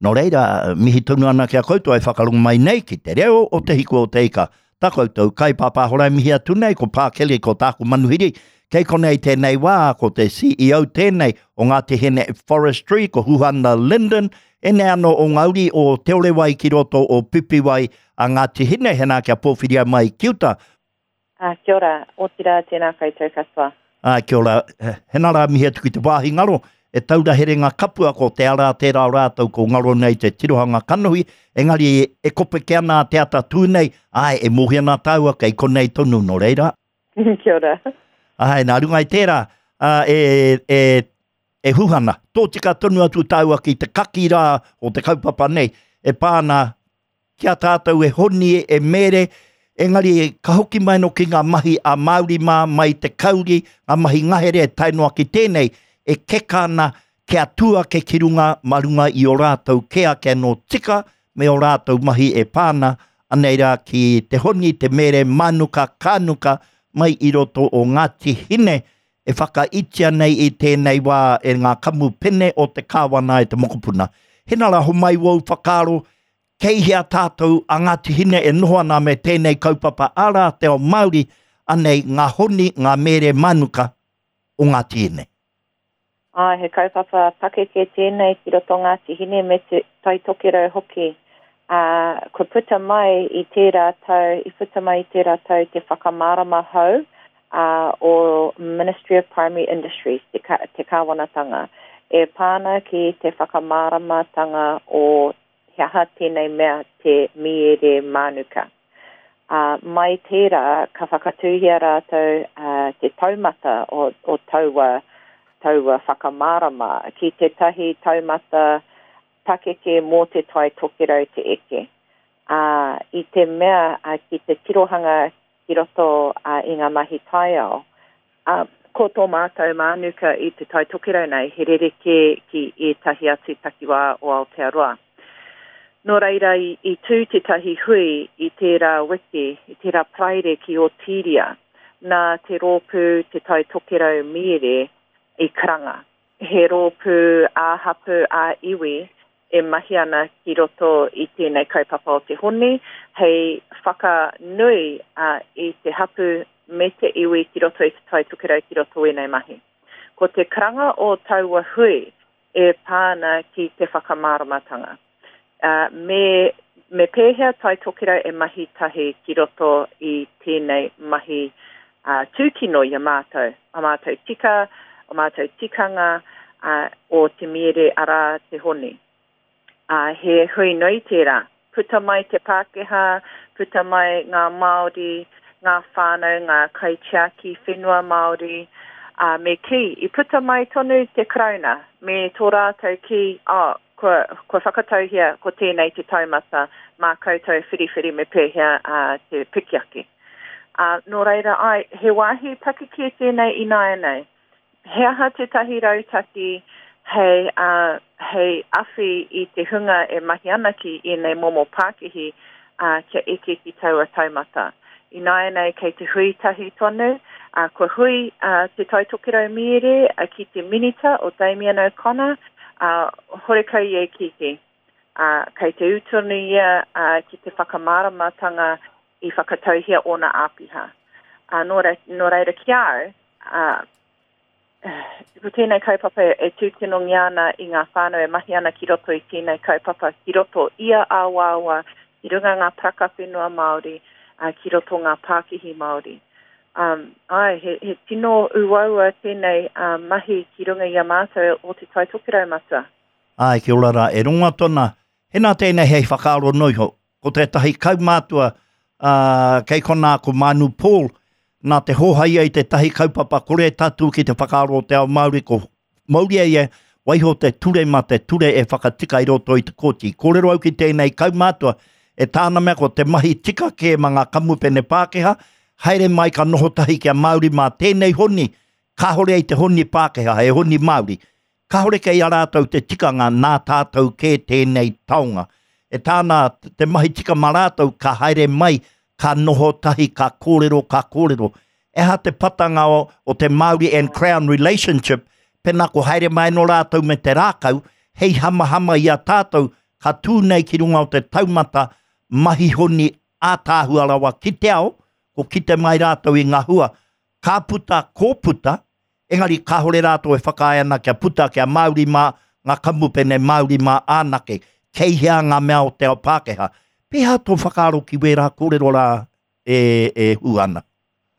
Nō reira, mihi tonu ana ki a koutou e whakarongo mai nei ki te reo o Te Hiku o Te Ika. Tā koutou kaipāpāho rā e mihi atu nei, ko Pā Kelly, ko tāku manuhiri. Kei konei tēnei wā, ko te CEO tēnei o Ngāti Hine Forestry, ko Huhana Lyndon, ēnei anō o ngā uri o Te Orewai ki roto o Pipiwai a Ngāti Hine, hēnā kia pōwhiria mai ki uta. Ā, kia ora, otirā tēnā koutou katoa. Ā, kia ora, hena rā mihi atu ki te wāhi ngaro, e taura herenga kapua ko te ara tērā o rātou ko ngaro nei te tirohanga kanohi, engari e kopeke ana te ata tū nei, āe, e mōhio ana tāua kei konei tonu, nō reira. Kia ora. Āe, nā runga i tērā, ā, e, e, e Huhana, tōtika tonu atu tāua ki te kaki rā o te kaupapa nei, e pā ana ki a tātou e honi, e mere, engari ka hoki mai no ki ngā mahi a Māori mā, mai te kauri, ngā mahi ngahere tae noa ki tēnei, e keka ana kia tū ake ki runga mā runga i o rātou kē ake anō tika me o rātou mahi e pā ana, anei rā ki te honi, te mere, mānuka, kānuka mai i roto o Ngāti Hine e whakaitia nei i tēnei wā e ngā kamupene o te kāwana e te mokopuna. Hena rā homai wōu whakaaro Kei hea tātou a Ngāti Hine e noho ana me tēnei kaupapa arā te ao Māori, anei ngā honi, ngā mēre mānuka o Ngāti Hine. Āe, he kaupapa pakeke tēnei ki roto Ngāti Hine me te Tai Tokerau hoki. Ā, kua puta mai i tērā tau, i puta mai i tērā tau te whakamārama hou ā, o Ministry of Primary Industries, te, te kāwanatanga, e pā ana ki te whakamāramatanga o he aha tēnei mea te mīere mānuka. Ā, mai tērā ka whakatūhia rātou te taumata o, o taua, taua whakamārama ki tētahi taumata pakeke mō Te Tai Tokerau te eke. Ā, i te mea ki te tirohanga ki roto i ngā mahi taiao, Ā, ko tō mātou mānuka i Te Tai Tokerau nei, he rerekē ki ētahi atu takiwā o Aotearoa. Nō reira, i tū tētahi hui i tērā wiki, i tērā Paraire ki Otīria, nā te rōpū Te Tai Tokerau Mīere i karanga. He rōpū ā-hapū, ā-iwi e mahi ana ki roto i tēnei kaupapa o te honi hei whakanui i te hapu me te iwi ki roto i Te Tai Tokerau ki roto ēnei mahi. Ko te karanga o taua hui e pā ana ki te whakamāramatanga. Me, me pēhea Tai Tokerau e mahi tahi ki roto i tēnei mahi tūkino i a mātou, a mātou tika, o mātou tikanga, o te miere arā te honi. Ā, he hui nui tērā. Puta mai te Pākehā, puta mai ngā Māori, ngā whānau, ngā kaitiaki whenua Māori, ā, me kī, i puta mai tonu te Karauna me tō rātou kī, oh, kua, kua whakatauhia ko tēnei te taumata, mā koutou whiriwhiri me pēhea te piki ake. Ā, nō reira, āe, he wāhi pakeke tēnei ināianei. He aha tētahi rautaki hei, ā, hei awhi i te hunga e mahi ana ki ēnei momo pākihi, ā, kia eke ki taua taumata? Ināianei kei te hui tahi tonu, ā, kua hui, ā, Te Tai Tokerau Mīere ki te Minita o Damien O'Connor, ā, horekau ia i kīkī. Ā, kei te ū tonu ia, ā, ki te whakamāramatanga i whakatauhia ōna āpiha. Ā, nō reira, nō reira ki a au, ā, ko tēnei kaupapa e tūkinongia ana i ngā whānau e mahi ana ki roto i tēnei kaupapa, ki roto ia awaawa, ki runga ngā paraka whenua Māori, ā, ki roto ngā pākihi Māori. Um, āe, he, he tino uaua tēnei uh, mahi ki runga i a mātou o Te Tai Tokerau Matua. Āe, kia ora rā, e rongo atu ana, hena tēnei hei whakaaro noa iho, ko tētahi kaumātua, ā, kei konā ko Manu Paul, nā te hōhaia i tētahi kaupapa kore tatū ki te whakaaro o te ao Māori, ko mauria ia, waiho te ture mā te ture e whakatika i roto i te kōti. Kōrero au ki tēnei kaumātua, e tāna mea ko te mahi tika kē mā ngā kamupene Pākehā, haere mai ka noho tahi ki a Māori mā tēnei honi, kāhore ai te honi Pākehā, he honi Māori. Kāore kei a rātou te tikanga nā tātou kē tēnei taonga. E tāna te mahi tika mā rātou ka haere mai, ka noho tahi, ka kōrero, ka kōrero. E aha te patanga o, o te Māori and Crown relationship, pēnā ko haere mai anō rātou me te rākau, hei hamahama i a tātou, ka tū nei ki runga o te taumata mahi honi ātaahua rawa ki te ao, ko kite mai rātou i ngā hua, ka puta, ko puta, engari kāore rātou e whakaae ana kia puta kia Māori mā, ngā kamupene Māori mā ānake, kei hea ngā mea o te ao Pākehā. Pēhea tō whakaaro ki wērā kōrero rā e, e hū ana?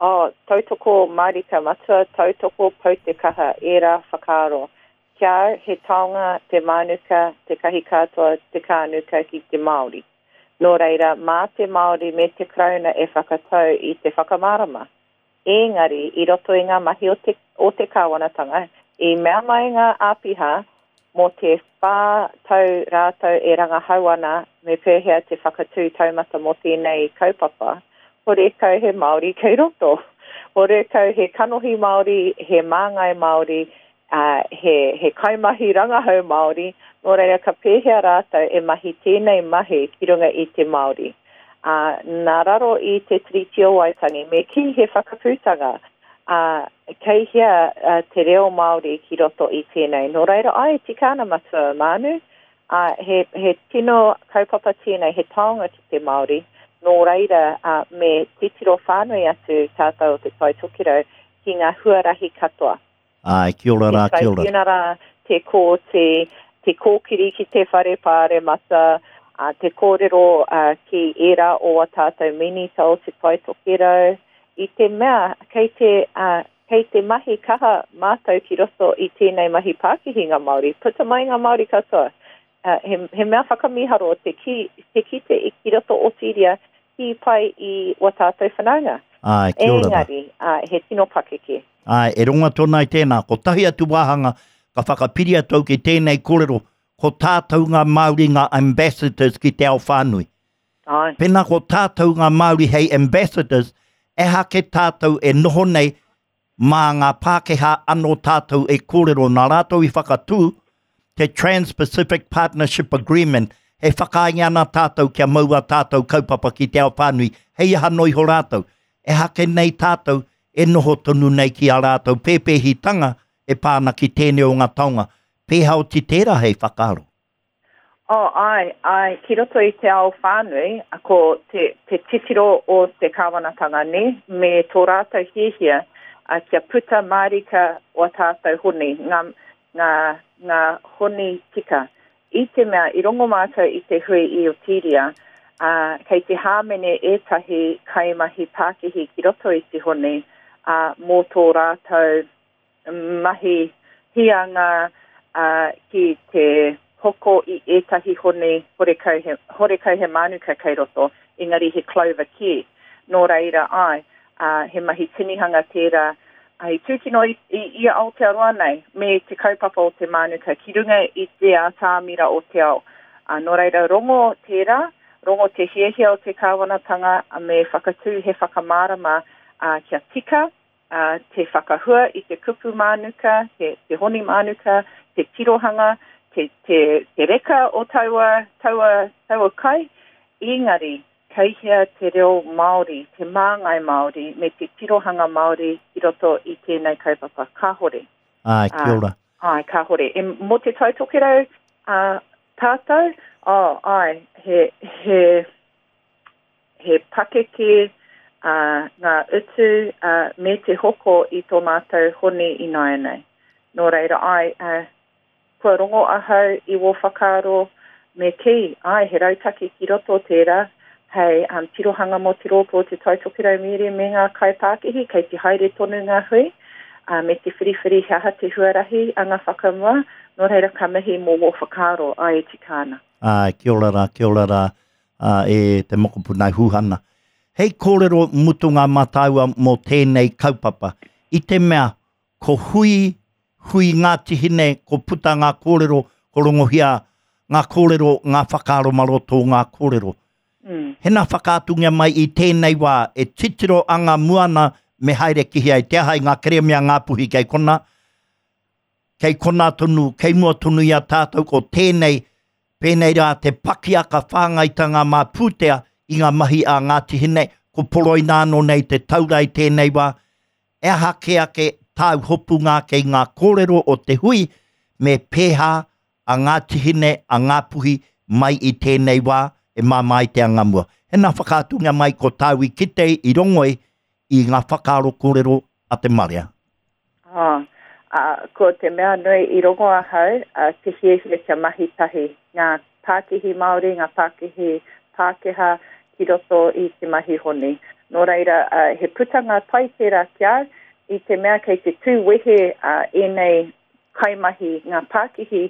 Oh, tautoko mārika matua, tautoko pau te kaha, ērā whakaaro. Ki a au, he taonga te mānuka, te kahikātoa, te kānuka ki te Māori. Nō reira, mā te Māori me te Karauna e whakatau i te whakamārama. Ēngari, i roto i ngā mahi o te, o te kāwanatanga, i mea mai ngā āpiha mō te whā tau rātou e rangahau ana me pēhea te whakatū taumata mō tēnei kaupapa, horekau he Māori kei roto. Horekau he kanohi Māori, he māngai Māori, ā, he, he kaimahi rangahau Māori, nō reira ka pēhea rātou e mahi tēnei mahi ki runga i te Māori. Ā, nā raro i te Tiriti o Waitangi, me kī he whakaputanga, ā, kei hea te reo Māori ki roto i tēnei. Nō reira, āe, tika ana Matua Maanu, ā, he, he tino kaupapa tēnei, he taonga ki te Māori, nō reira, ā, me titiro whānui atu tātou o Te Tai Tokerau ki ngā huarahi katoa. Āe, kia ora rā, kia ora. Te tribunara, te kōti, te kōkiri ki te whare pāremata, te kōrero ki ērā o a tātou minita o Te Tai Tokerau, i te mea kei te, kei te mahi kaha mātou ki roto i tēnei mahi pākihi ngā Māori, puta mai ngā Māori katoa. He, he mea whakamīharo te, ki, te kite i ki roto otiria kī pai i wa tātou whanaunga. Āe, kia ora rā. Engari, he tino pakeke. Āe, e rongo atu ana i tēnā. Kotahi atu wāhanga ka whakapiri atu au ki tēnei kōrero, ko tātou ngā Māori ngā ambassadors ki te ao whānui. Āe. Pēnā ko tātou ngā Māori hei ambassadors, ehake tātou e noho nei mā ngā Pākehā anō tātou e kōrero nā rātou i whakatū te Trans-Pacific Partnership Agreement, e whakaaengia ana tātou kia mau ā tātou kaupapa ki te ao whānui, hei aha noa iho rātou. Ehake nei tātou e noho tonu nei ki ā rātou pēpēhitanga e pā ana ki tēnei o ngā taonga. Pēhea oti tērā hei whakaaro? Oh, āe, āe, ki roto i te ao whānui, ko te, te titiro o te kāwanatanga, nē, me tō rātou hiahia kia puta mārika wā tātou honi, ngā, ngā, ngā honi tika. I te mea, i rongo mātou i te hui i Otiria, ā, kei te hāmene ētahi kaimahi pākihi ki roto i te honi, ā, mō tō rātou mahi hīanga ki te hoko i ētahi honi horekau he, horekau he mānuka kei roto, engari he clover kē. Nō reira, āe, he mahi tinihanga tērā i tūkino i, i, i a Aotearoa nei me te kaupapa o te mānuka ki runga i te atamira o te ao. Nō reira, rongo tērā, rongo te hiahia o te kāwanatanga me whakatū he whakamārama kia tika, ā, te whakahua i te kupu mānuka, te, te honi mānuka, te tirohanga, te, te, te reka o taua, taua, taua kai, engari, kei hea te reo Māori, te māngai Māori, me te tirohanga Māori ki roto i tēnei kaupapa? Kāhore. Āe, kia ora. Āe, kāhore. E, mō Te Tai Tokerau, ā, tātou, oh, āe, he, he, he pakeke ngā utu me te hoko i tō mātou honi ināianei. Nō reira, āe, kua rongo ahau i wō whakaaro me kī, āe, he rautaki ki roto tērā hei tirohanga mō te rōpū o Te Tai Tokerau Mīere me ngā kaipākihi, kei te haere tonu ngā hui, me te whiriwhiri he aha te huarahi anga whakamua, nō reira ka mihi mō wō whakaaro, āe e tika ana. Āe, kia ora rā, kia ora rā. ā, e te mokopuna e Huhana. Hei kōrero mutunga mā tāua mō tēnei kaupapa, i te mea ko hui, hui Ngāti Hine, ko puta ngā kōrero, ko rongohia ngā kōrero, ngā whakaaro mā roto o ngā kōrero. Mm. Hena whakaatungia mai i tēnei wā e titiro anga mua ana me haere ki hea i te aha i ngā kerēme a Ngāpuhi kei kona, kei konā tonu, kei mua tonu i a tātou ko tēnei, pēnei rā te pakiaka whāngaitanga mā pūtea i ngā mahi a Ngāti Hine, ko poroina anō nei te taura i tēnei wā, e aha kē ake tāu hopunga ake i ngā kōrero o te hui me pēhā a Ngāti Hine, a Ngāpuhi mai i tēnei wā e māmā ai te anga mua. Hena whakaatungia mai ko tāu i kite i rongoi i ngā whakaaro kōrero a te marea. Oh, ā, ko te mea nui i rongo ahau, ā, te hiahia kia mahi tahi ngā pākihi Māori, ngā pākihi Pākehā ki roto i te mahi honi. Nō reira, ā, he putanga pai tērā ki au, i te mea kei te tū wehe, ā, ēnei kaimahi, ngā pākihi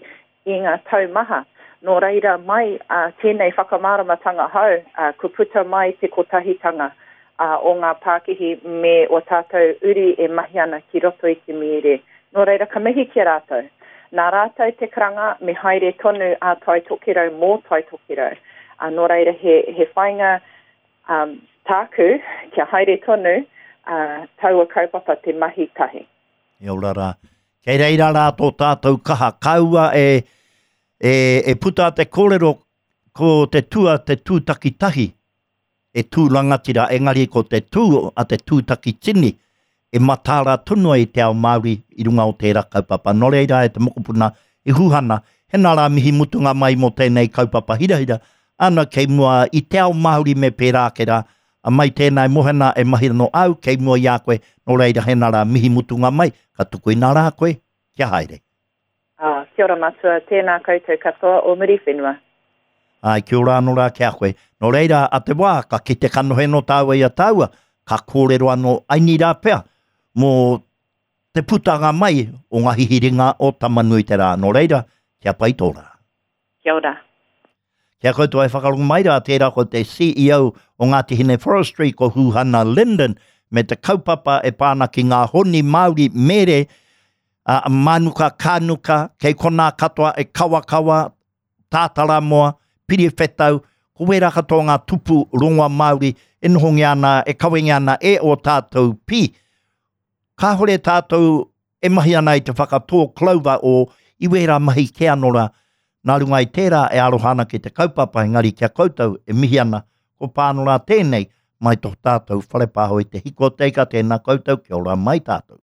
i ngā tau maha. Nō reira mai ā, tēnei whakamāramatanga hou, ā, kua puta mai te kotahitanga ā, o ngā pākihi me ō tātou uri e mahi ana ki roto i te mīere. Nō reira ka mihi ki a rātou. Nā rātou te karanga me haere tonu a Tai Tokerau mō Tai Tokerau. Ā, nō reira he, he whāinga ā, tāku kia haere tonu ā, taua kaupapa te mahi tahi. E ora rā. Kei reira rā tō tātou kaha. Kaua e, e, e puta te kōrero ko te tua te tūtaki tahi e tū rangatira, engari ko te tū a te tūtaki tini e mataara tonu ai te ao Māori i runga o tērā kaupapa. Nō reira e te mokopuna i Huhana, hena rā mihi mutunga mai mō tēnei kaupapa hirahira, ana kei mua i te ao Māori me pērā ake rā, A mai tēnā e Mohena e mahi anō au kei mua i a koe, nō reira hena rā mihi mutunga mai, ka tukuina rā koe, kia haere. Ā, kia ora matua, tēnā koutou katoa o Muriwhenua. Āe, kia ora anō rā ki a koe. Nō reira, a te wā, ka kite kanohi anō tāua i a tāua, ka kōrero anō aini rā pea mō te putanga mai o ngā hihiringa o Tamanuiterā. Nō reira, kia pai tō rā. Kia ora. Ki a koutou e whakarongo mai rā, tērā ko te CEO o Ngāti Hine Forestry, ko Huhana Lyndon, me te kaupapa e pā ana ki ngā honi Māori mere, a, mānuka, kānuka, kei konā katoa e kawakawa, tātaramoa, piriwhetau, ko wērā katoa ngā tupu rongoa Māori e nohongia ana, e kawengia ana e ō tātou pī. Kāhore tātou e mahi ana i te whakatō clover o i wērā mahi kē anō rā, nā runga i tērā e aroha ana ki te kaupapa engari ki a koutou e mihi ana, ko pāno rā tēnei mai tō tātou whare pāho i te hiko o te ika, tēnā koutou, kia ora mai tātou.